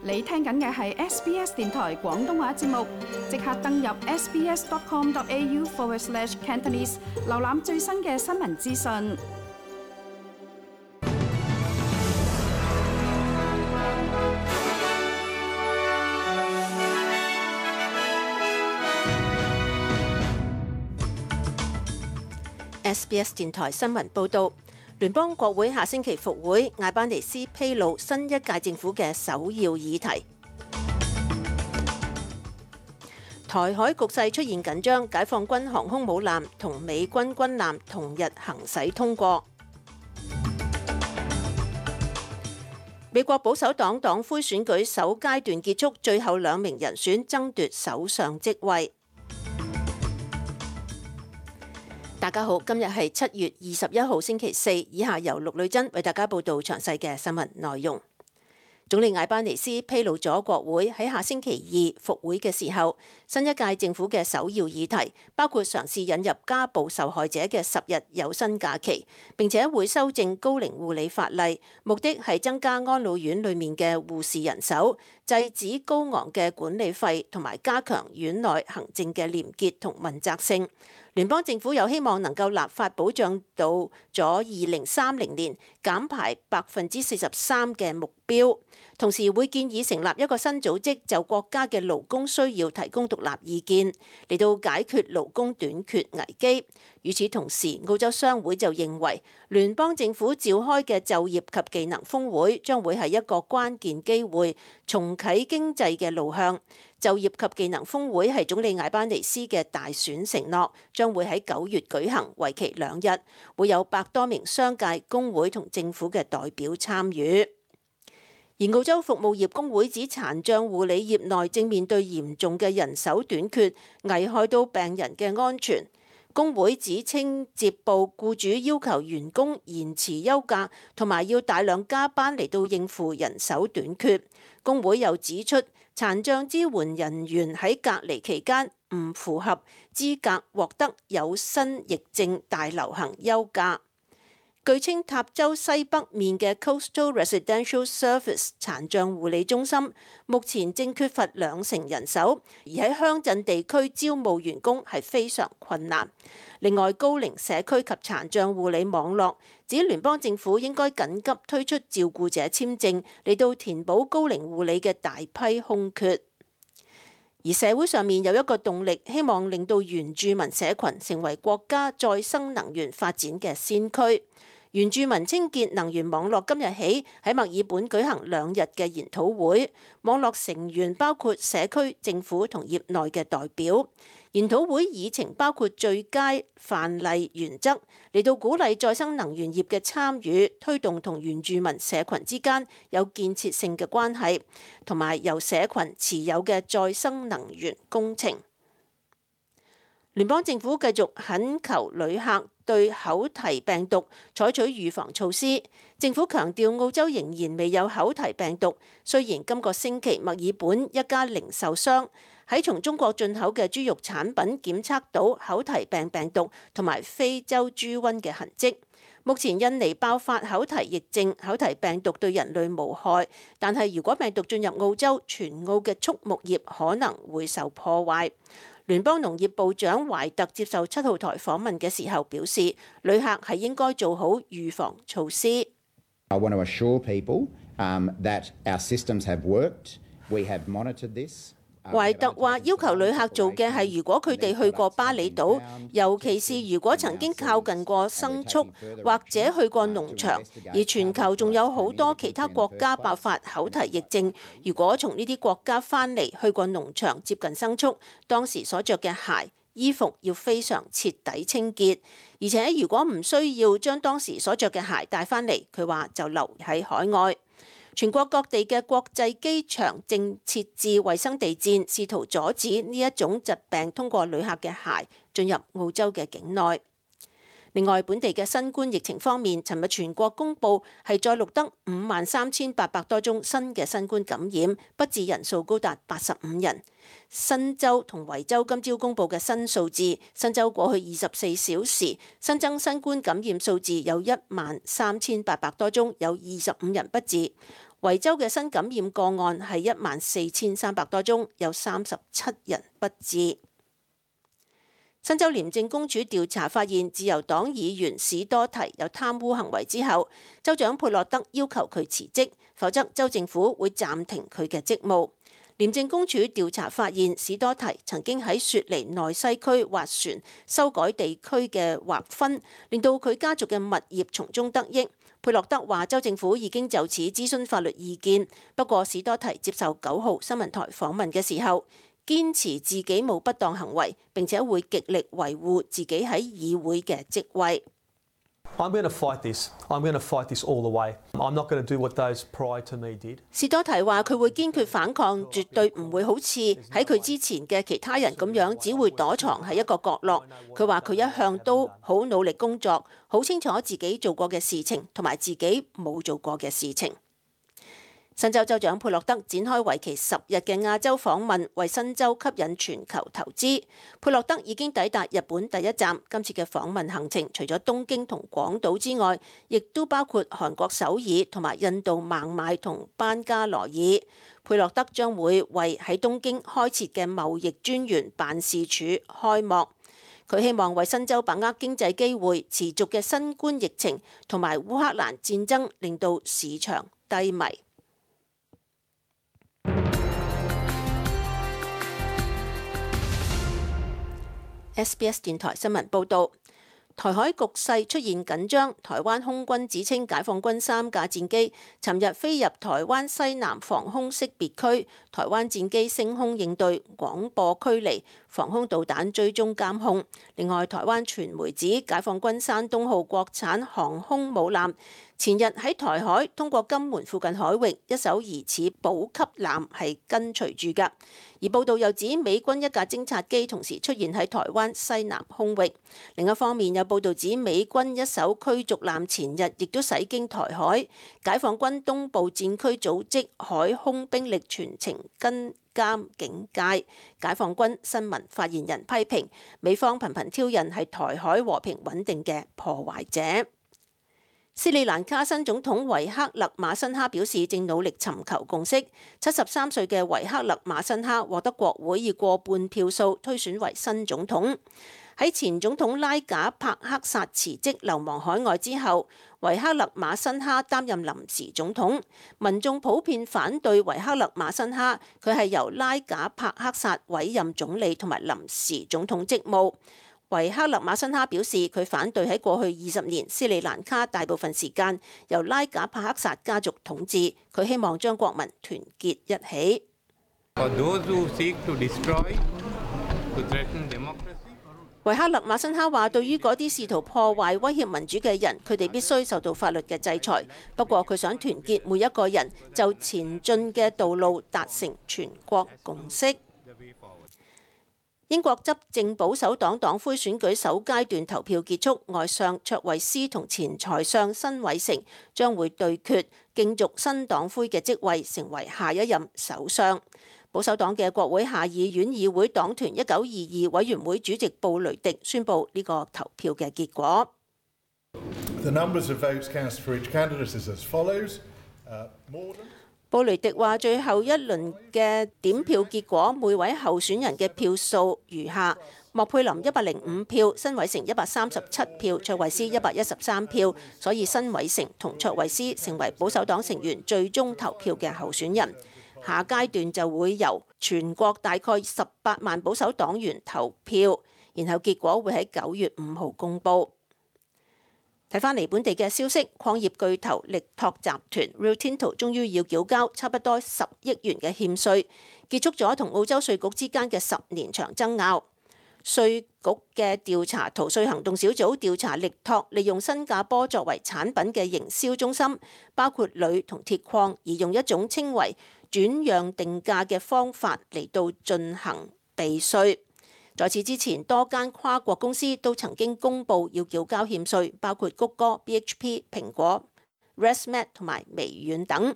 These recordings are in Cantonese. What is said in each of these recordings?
你聽緊嘅係 SBS 電台廣東話節目，即刻登入 sbs.com.au/Cantonese 瀏覽最新嘅新聞資訊。SBS 電台新聞報導，聯邦國會下星期復會，艾班尼斯披露新一屆政府嘅首要議題。台海局勢出現緊張，解放軍航空母艦同美軍軍艦同日行駛通過。美國保守黨黨魁選舉首階段結束，最後2名人選爭奪首相職位。大家好，今日係7月21號星期四，以下由陸女珍為大家報道詳細嘅新聞內容。總理艾班尼斯披露咗國會喺下星期2復會嘅時候，新一屆政府嘅首要議題包括嘗試引入家暴受害者嘅10日有薪假期，並且會修正高齡護理法例，目的係增加安老院裏面嘅護士人手，制止高昂嘅管理費，同埋加強院內行政嘅廉潔同問責性。聯邦政府有希望能夠立法保障到咗2030年減排43%嘅目標，同時會建議成立一個新組織，就國家嘅勞工需要提供獨立意見，嚟到解決勞工短缺危機。與此同時，澳洲商會就認為聯邦政府召開嘅就業及技能峰會將會係一個關鍵機會，重啟經濟嘅路向。就業及技能峰會係總理艾班尼斯嘅大選承諾，將會喺9月舉行，為期2日，會有100多名商界、工會同政府嘅代表參與。而澳洲服務業工會指殘障護理業內正面對嚴重嘅人手短缺，危害到病人嘅安全。工會指稱接報僱主要求員工延遲休假，同埋要大量加班嚟到應付人手短缺。工會又指出，殘障支援人員喺隔離期間唔符合資格獲得有薪疫症大流行休假。據稱塔州西北面嘅 Coastal Residential Service 殘障護理中心目前正缺乏20%人手，而喺鄉鎮地區招募員工係非常困難。另外，高齡社區及殘障護理網絡指聯邦政府應該緊急推出照顧者簽證嚟到填補高齡護理嘅大批空缺。而社會上面有一個動力，希望令到原住民社群成為國家再生能源發展嘅先驅。原住民清潔能源網絡今日起喺墨爾本舉行2日嘅研討會，網絡成員包括社區、政府同業內嘅代表。研討會議程包括最佳範例原則，嚟到鼓勵再生能源業嘅參與，推動同原住民社群之間有建設性嘅關係，同埋由社群持有嘅再生能源工程。聯邦政府繼續懇求旅客對口蹄病毒採取預防措施。政府強調澳洲仍然未有口蹄病毒，雖然今個星期墨爾本一家零售商喺從中國進口嘅豬肉產品檢測到口蹄病毒同埋非洲豬瘟嘅痕跡。目前印尼爆發口蹄疫症，口蹄病毒對人類無害，但係如果病毒進入澳洲，全澳嘅畜牧業可能會受破壞。聯邦農業部長懷特接受7號台訪問嘅時候表示，旅客係應該做好預防措施。I want to assure people that our systems have worked. We have monitored this. 懷特話要求旅客做嘅係，如果佢哋去過巴厘島，尤其是如果曾經靠近過牲畜或者去過農場，而全球仲有好多其他國家爆發口蹄疫症，如果從呢啲國家返嚟去過農場接近牲畜，當時所着嘅鞋、衣服要非常徹底清潔，而且如果唔需要將當時所着嘅鞋帶返嚟，佢話就留喺海外。全國各地嘅國際機場正設置衛生地氈，試圖阻止呢一種疾病通過旅客嘅鞋進入澳洲嘅境內。另外，本地嘅新冠疫情方面，尋日全國公佈係再錄得53,800多宗新嘅新冠感染，不治人數高達85人。新州同維州今朝公佈嘅新數字，新州過去24小時新增新冠感染數字有13,800多宗，有25人不治；維州嘅新感染個案係14,300多宗，有37人不治。新州廉政公署調查發現，自由黨議員史多提有貪污行為之後，州長佩洛德要求佢辭職，否則州政府會暫停佢嘅職務。廉政公署調查發現，史多提曾經喺雪梨內西區劃船，修改地區嘅劃分，令到佢家族嘅物業從中得益。佩洛德話，州政府已經就此諮詢法律意見，不過史多提接受9號新聞台訪問嘅時候，堅持自己冇不當行為，並且會極力維護自己喺議會嘅職位。I'm going to fight this. I'm going to fight this all the way. I'm not going to do what those prior to me did. 史多提話佢會堅決反抗，絕對唔會好似喺佢之前嘅其他人咁樣，只會躲藏喺一個角落。佢話佢一向都好努力工作，好清楚自己做過嘅事情同埋自己冇做過嘅事情。新州州長佩洛德展開為期10日嘅亞洲訪問，為新州吸引全球投資。佩洛德已經抵達日本第一站，今次嘅訪問行程除咗東京同廣島之外，亦都包括韓國首爾同埋印度孟買同班加羅爾。佩洛德將會為喺東京開設嘅貿易專員辦事處開幕。佢希望為新州把握經濟機會，持續嘅新冠疫情同埋烏克蘭戰爭令到市場低迷。SBS 電台新聞報導，台海局勢出現緊張。台灣空軍指稱解放軍3架戰機尋日飛入台灣西南防空識別區，台灣戰機升空應對、廣播驅離、防空導彈追蹤監控。另外，台灣傳媒指解放軍山東號國產航空母艦前日喺台海通過金門附近海域一艘疑似補給艦係跟隨住㗎。而報道又指美軍一架偵察機同時出現喺台灣西南空域。另一方面有報道指美軍一艘驅逐艦前日亦都駛經台海，解放軍東部戰區組織海空兵力全程跟監警戒。解放軍新聞發言人批評美方頻頻挑釁係台海和平穩定嘅破壞者。斯里蘭卡新總統維克勒馬辛哈表示，正努力尋求共識。73歲嘅維克勒馬辛哈獲得國會以過半票數推選為新總統。喺前總統拉賈帕克薩辭職流亡海外之後，維克勒馬辛哈擔任臨時總統。民眾普遍反對維克勒馬辛哈，佢係由拉賈帕克薩委任總理同埋臨時總統職務。維克勒馬辛哈表示，佢反對喺過去20年斯里蘭卡大部分時間由拉賈帕克薩家族統治，佢希望將國民團結一起。維克勒馬辛哈話，對於嗰啲試圖破壞威脅民主嘅人，佢哋必須受到法律嘅制裁。不過佢想團結每一個人，就前進嘅道路達成全國共識。英國執政保守黨黨魁選舉首階段投票結束，外相卓慧思同前財相辛偉誠將會對決，競逐新黨魁嘅職位，成為下一任首相。保守黨嘅國會下議院議會黨團1922委員會主席布雷迪宣布呢個投票嘅結果。布雷迪話：最後一輪嘅點票結果，每位候選人嘅票數如下：莫佩林105票，辛偉誠137票，卓慧思113票。所以辛偉誠同卓慧思成為保守黨成員最終投票嘅候選人。下階段就會由全國大概18萬保守黨員投票，然後結果會喺9月5號公佈。睇返嚟本地嘅消息，礦業巨頭力拓集團 Rio Tinto 終於要繳交差不多10億元嘅欠稅，結束咗同澳洲稅局之間嘅10年長爭拗。稅局嘅調查逃稅行動小組調查力拓利用新加坡作為產品嘅營銷中心，包括鋁同鐵礦，而用一種稱為轉讓定價嘅方法嚟到進行避稅。在此之前，多間跨國公司都曾經公布要繳交欠稅，包括谷歌、BHP、蘋果、ResMed 同埋微軟等。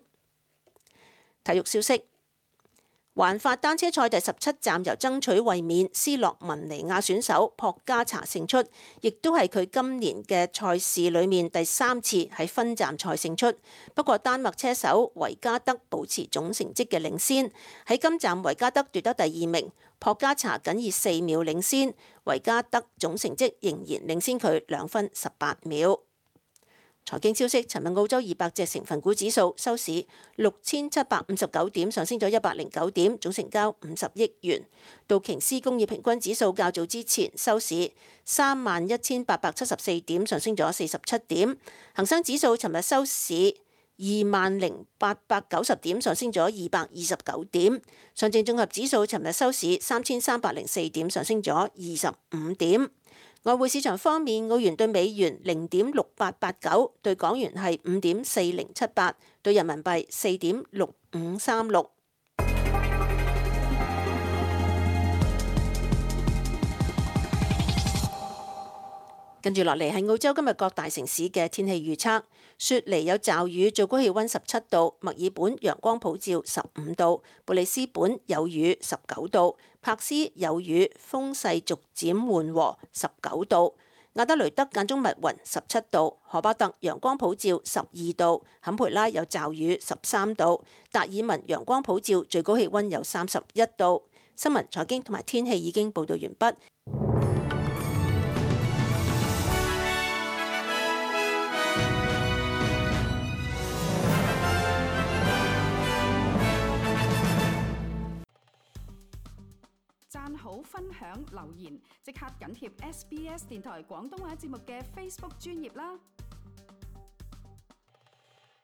體育消息：環法單車賽第17站由爭取衛冕斯洛文尼亞選手朴加查勝出，亦都係佢今年嘅賽事裏面第3次喺分站賽勝出。不過丹麥車手維加德保持總成績嘅領先，喺今站維加德奪得第2名，朴加查僅以4秒領先，維加德總成績仍然領先佢2分18秒。財經消息，尋日澳洲200隻成分股指數收市6759點，上升咗109點，總成交50億元。道瓊斯工業平均指數較早之前收市31874點，上升咗47點。恒生指數尋日收市20890點，上升咗229點。上證綜合指數尋日收市3304點，上升咗25點。外匯市場方面，澳元對美元0.6889，對港元係5.4078，對人民幣4.6536。跟住落嚟係澳洲今日各大城市嘅天氣預測。雪梨有驟雨，最高氣溫17度；墨爾本陽光普照15度；布里斯本有雨19度；柏斯有雨，風勢逐漸緩和19度；亞德雷德間中密雲17度；荷巴特陽光普照12度；坎培拉有驟雨13度；達爾文陽光普照，最高氣溫有31度。新聞、財經同埋天氣已經報道完畢。讚好、分享、留言，即刻緊貼SBS 電台廣東話節目嘅 Facebook 專頁啦！